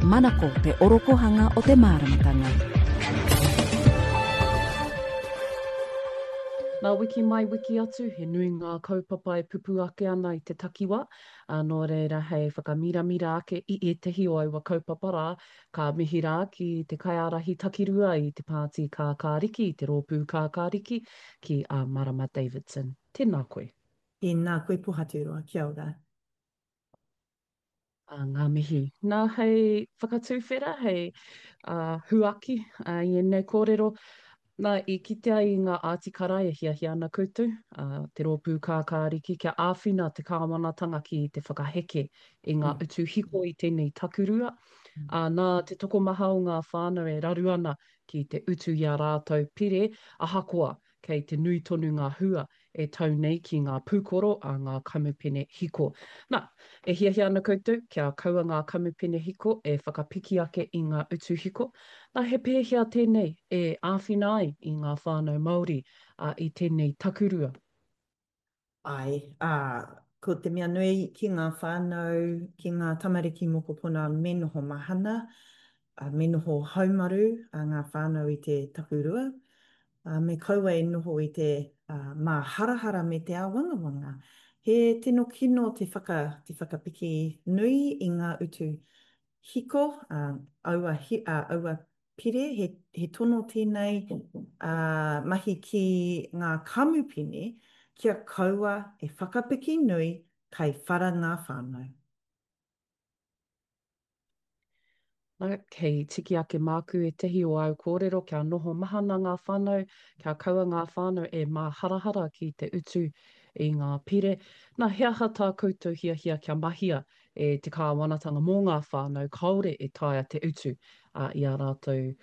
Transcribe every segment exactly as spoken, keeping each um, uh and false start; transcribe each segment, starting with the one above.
Manako te orokohanga o te māramatanga. Nā wiki mai wiki atu, he nui ngā kaupapa e pupū ake ana i te takiwā, ā, nō reira hei whakamiramira ake i ētahi o aua kaupapa rā, ka mihi rā ki te kaiārahi takirua i te Pāti Kākāriki, i te Rōpū Kākāriki, ki a Marama Davidson. Tēnā koe. Tēnā koe Pohaturoa, kia ora. Ā, ngā mihi. Nā, hei whakatuwhera, hei uh, huaki uh, i ēnei kōrero, nā, i kitea i ngā ātikara e hiahia ana koutou, uh, te rōpū kākāriki, kia āwhina te kāwanatanga ki te whakaheke i ngā mm. utu hiko i tēnei takurua. Mm. Uh, nā te tokomaha o ngā whānau e raru ana ki te utu i a rātou pire, ahakoa kei te nui tonu ngā hua e tau nei ki ngā pūkoro a ngā kamupene hiko. Nā, e hiahia ana koutou kia kaua ngā kamupene hiko e whakapiki ake i ngā utu hiko. Nā, he pēhea tēnei e āwhina ai i ngā whānau Māori ā, i tēnei takurua? Āe, ā, ko te mea nui ki ngā whānau, ki ngā tamariki mokopuna me noho mahana, ā, me noho haumaru ngā whānau i te takurua, ā, me kaua e noho i te māharahara me te āwangawanga. He tino kino te whaka, te whakapiki nui i ngā utu hiko, ā, aua, ā, aua pire, he, he tono tēnei, ā, mahi ki ngā kamupene kia kaua e whakapiki nui kai whara ngā whānau. Nā, kei tiki ake māku ētahi o āu kōrero kia noho mahana ngā whānau, kia kaua ngā whānau e māharahara ki te utu i ngā pire. Nā, he aha tā koutou hiahia kia mahia e te kāwanatanga mō ngā whānau kāore e taea te utu i ā rātou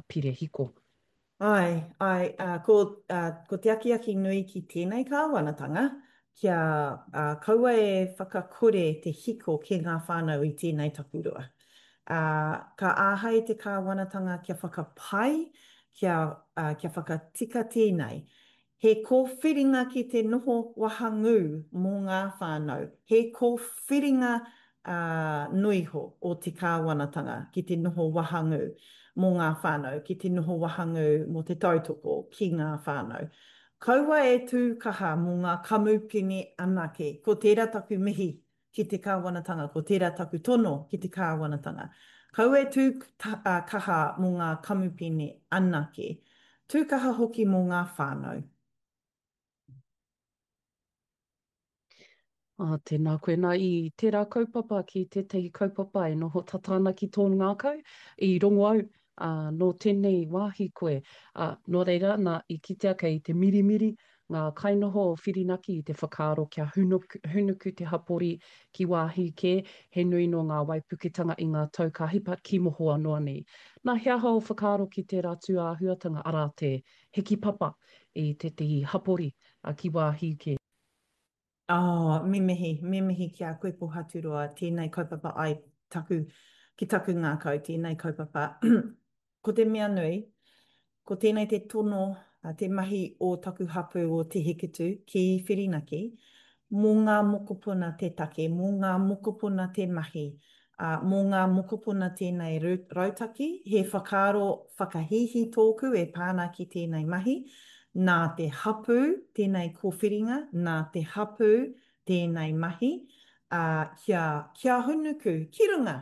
pire hiko? Āe, āe, ā, ko, ā, ko te akiaki nui ki tēnei kāwanatanga, kia, ā, kaua e whakakore te hiko ki ngā whānau i tēnei takurua. Ā, ka āhei te kāwanatanga kia whakapai, kia, ā, kia whakatika tēnei. He kōwhiringa ki te noho wahangū mō ngā whānau, he kōwhiringa noiho o te kāwanatanga ki te noho wahangū mō ngā whānau, ki te noho wahangū mō te tautoko ki ngā whānau. Kaua e tū kaha mō ngā kamupene anake, ko tērā taku mihi ki te kāwanatanga, ko tērā taku tono ki te kāwanatanga. Kaua e tū kaha mō ngā kamupene anake, tū kaha hoki mō ngā whānau. Ā, tēnā koe. Nā, i tērā kaupapa ki tētahi kaupapa e noho tata ana ki tō ngākau, i rongo au, ā, nō tēnei wāhi koe. Ā, nō reira, nā, i kitea kei te mirimiri ngā kainoho o Whirinaki i te whakaaro kia hunuku, hunuku te hapori ki wāhi kē, he nui nō ngā waipuketanga i ngā tau ka hipa ki mohoa noa nei. Nā, he aha ō whakaaro ki tērā tūāhuatanga, arā te hiki papa i tētahi hapori ki wāhi kē? Oh, me mihi, me mihi ki a koe Pohaturoa, tēnei kaupapa ai taku, ki taku ngākau, tēnei kaupapa. Ko te mea nui, ko tēnei te tono, te mahi o taku hapū o Te Hikutu ki Whirinaki, mō ngā mokopuna te take, mō ngā mokopuna te mahi, ā, mō ngā mokopuna tēnei rautaki, he whakaaro whakahīhī tōku e pā ana ki tēnei mahi, nā te hapū tēnei kōwhiringa, nā te hapū tēnei mahi, ā, kia, kia hunuku ki runga,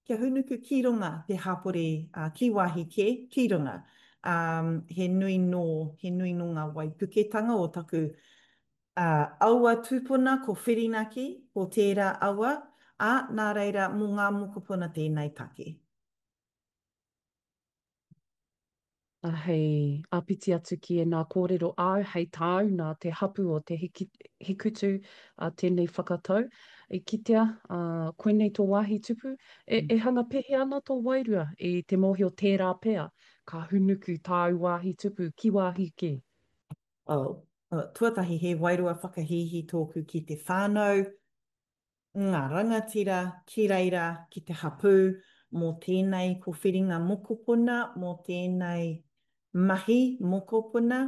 kia hunuku ki runga te hapori, ā, ki wāhi kē, ki runga. Ā, he nui nō, he nui nō ngā waipuketanga o taku Ā, aua tūpuna ko Whirinaki, ko tērā aua, ā, nā reira, mō ngā mokopuna tēnei take. Ā, hei āpiti atu ki ēnā kōrero āu, hei tāu nā te hapū o Te Hikutu ā tēnei whakatau, i kitea, ā, koinei tō wāhi tupu, e, e hanga pēhea ana tō wairua i te mōhio tērā pea ka hunuku tāu wāhi tupu ki wāhi kē? Oh, tuatahi he wairua whakahīhī tōku ki te whānau, ngā rangatira ki reira, ki te hapū, mō tēnei kōwhiringa mokopuna, mō tēnei mahi mokopuna.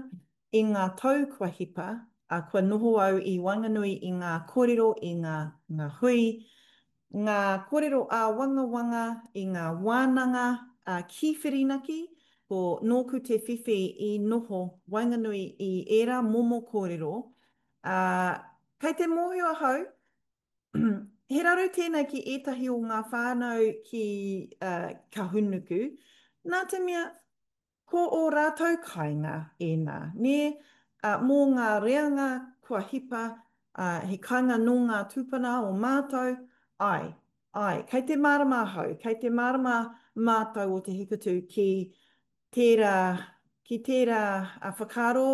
I ngā tau kua hipa, ā, kua noho au i waenganui i ngā kōrero, i ngā, ngā hui, ngā kōrero āwangawanga i ngā wānanga ki Whirinaki, ko nōku te whiwhi i noho waenganui i ērā momo kōrero, ā, kei te mōhio ahau, he raru tēnei ki ētahi o ngā whānau ki Kahungunu, nā te mea Ko ō rātou kāinga ēnā, nē, ā, mō ngā reanga kua hipa, ā, he kāinga nō ngā tūpuna o mātou, āe, āe, kei te mārama ahau, kei te mārama mātou o Te Hikutu ki tērā, ki tērā whakaaro,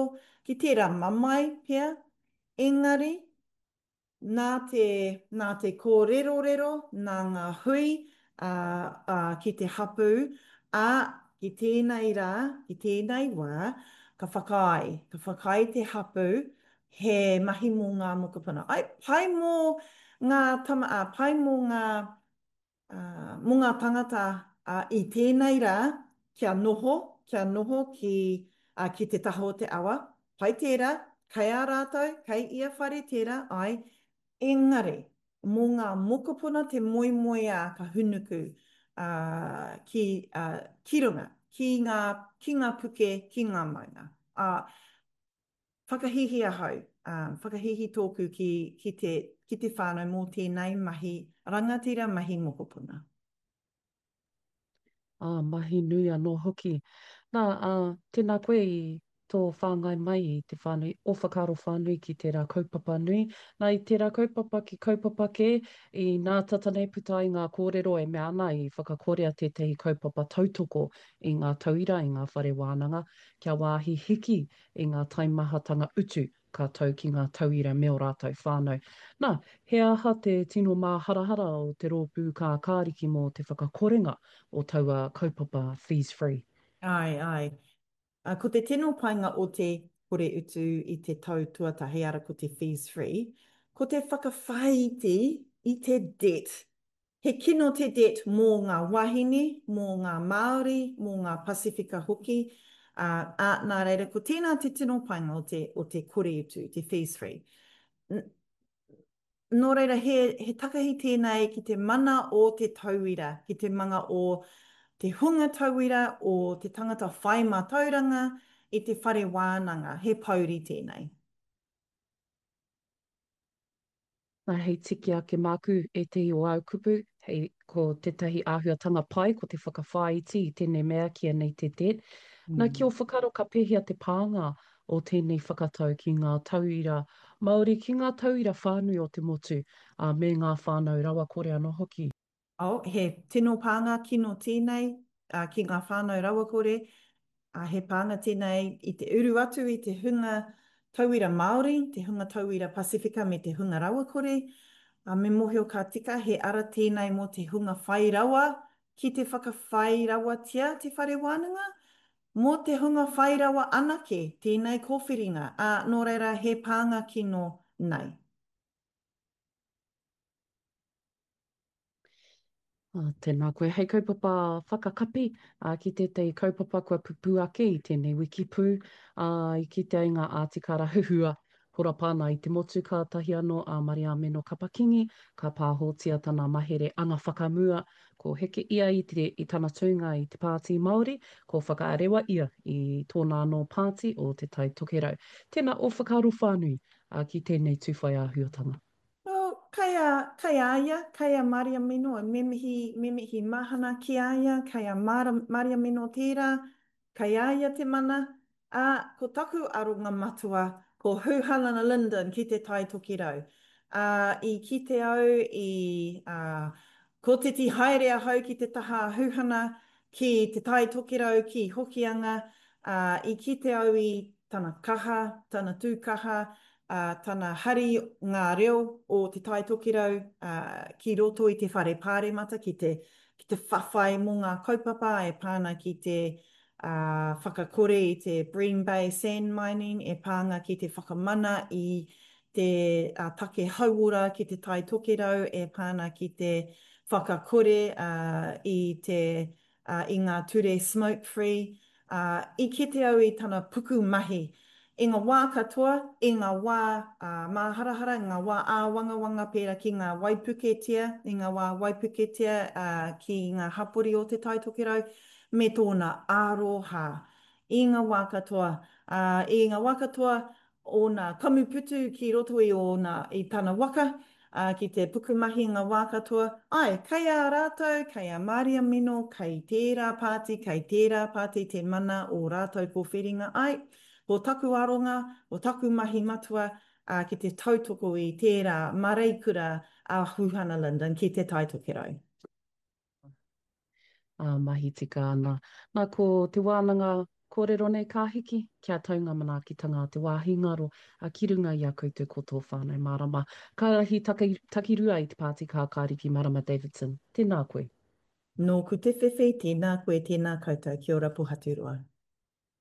ki tērā mamae pea, engari, Nā te, nā te kōrerorero, nā ngā hui, ā, ā, ki te hapū, ā, ki tēnei rā, ki tēnei wā, ka whakaae, ka whakaae te hapū, he mahi mō ngā mokopuna. Ai, pai mō ngā tama, ā, pai mō ngā, ā, mō ngā tangata, ā, i tēnei rā, kia noho, kia noho ki, ā, ki te taha o te awa, pai tērā, kei a rātou, kei ia whare tērā, āe, engari, mō ngā mokopuna te moemoeā ka hunuku, ā, ki, ā, ki runga, ki ngā, ki ngā puke, ki ngā maunga. Ā, Whakahīhī ahau, ā, whakahīhī tōku ki, ki te, ki te whānau mō tēnei mahi rangatira, mahi mokopuna. Ā, mahi nui anō hoki. Nā, ā, tēnā koe i tō whāngai mai i te whānui, ō whakaaro whānui ki tērā kaupapa nui. Nā, i tērā kaupapa ki kaupapa kē, i nā tata nei puta ai ngā kōrero e mea ana i whakakorea tētahi kaupapa tautoko i ngā tauira i ngā whare wānanga kia wāhi hiki i ngā taimahatanga utu ka tau ki ngā tauira me ō rātou whānau. Nā, he aha te tino māharahara o te rōpū kākāriki mō te whakakorenga o taua kaupapa Fees Free? Āe, āe. Ko te tino painga o te kore utu i te tau tuatahi, ara ko te Fees Free, ko te whakawhāiti i te debt. He kino te debt mō ngā wāhine, mō ngā Māori, mō ngā Pasifika hoki, ā, ā, nā reira, ko tēnā te tino painga o te, o te kore utu, te fees free. Nō reira, he, he takahi tēnei ki te mana o te tauira, ki te manga o te hunga tauira, o te tangata whai mātauranga i te whare wānanga, he pouri tēnei. Nā, hei tiki ake māku ētehi o āu kupu, hei, ko tētahi āhuatanga pai ko te whakawhāiti i tēnei mea ki ēnei te debt. Nā, ki ō whakaaro ka pēhea te pānga o tēnei whakatau ki ngā tauira Māori, ki ngā tauira whānui o te motu, ā, me ngā whānau rawakore anō hoki? Oh, he tino pānga kino tēnei ki ngā whānau rawakore, ā, he pānga tēnei i te uru atu i te hunga tauira Māori, te hunga tauira Pasifika me te hunga rawakore, ā, me mōhio ka tika he ara tēnei mō te hunga whai rawa ki te whakawhai rawatia te whare wānanga, mō te hunga whai rawa anake tēnei kōwhiringa, ā, nō reira he pānga kino nei. Ah, tēnā koe. Hei kaupapa whakakapi ah, ki tētahi kaupapa kua pupū ake i tēnei wiki pū, ah, i kitea i ngā ātikara huhua horapa ana i te motu kātahi anō a Mariameno Kapa-Kingi ka pāhotia tana mahere anga whakamua, ko heke ia i te, i tana tūnga i te Pāti Māori, ko whakaarewa ia i tōna anō pāti o Te Tai Tokerau. Tēnā ō whakaaro whānui ah, ki tēnei tūwhai āhuatanga. Well, kei a, kei a ia, kei a Mariameno, me mihi, me mihi mahana ki a ia, kei a Mara, Mariameno tērā, kei a ia te mana, ā, ko taku aronga matua, ko Huhana Lyndon ki Te Tai Tokerau. Ā, i kite au i, ā, kotiti haere ahau ki te taha a Huhana, ki Te Tai Tokerau, ki Hokianga, ā, i kite au i tana kaha, tana tū kaha, ā, tana hari ngā reo o Te Tai Tokerau, ā, ki roto i te Whare Pāremata ki te, ki te whawhai mō ngā kaupapa e pā ana ki te, ā, whakakore i te Bream Bay sand mining, e pā ana ki te whakamana i te take hauora ki Te Tai Tokerau e pā ana ki te whakakore i te i ngā ture smoke free, ā, i kite au i tana puku mahi I ngā wā katoa, i ngā wā māharahara, i ngā wā āwangawanga pērā ki ngā waipuketia, i ngā wā waipuketia ki ngā hapori o Te Tai Tokerau, me tōna aroha. I ngā wā katoa, ā, i ngā wā katoa ōna kamuputu ki roto i ōna, i tana waka, ā, ki te pukumahi i ngā wā katoa, āe, kei a rātou, kei a Māria Mino, kei tērā pāti, kei tērā pāti te mana o rātou kōwhiringa, āe, ko taku aronga, ko taku mahi matua, ā, ki te tautoko i tērā māreikura a Huhana Lyndon ki Te Tai Tokerau. Ā, mahi tika ana. Nā, ko te wānanga kōrero nei ka hiki, kia tau ngā manaakitanga a te wāhi ngaro, ā, ki runga i a koutou ko tō whānau mārama. Ka rahi taki, takirua i te Pāti Kākāriki Marama Davidson. Tēnā koe. Nōku te whiwhi, tēnā koe, tēnā koutou. Kia ora Pohaturoa.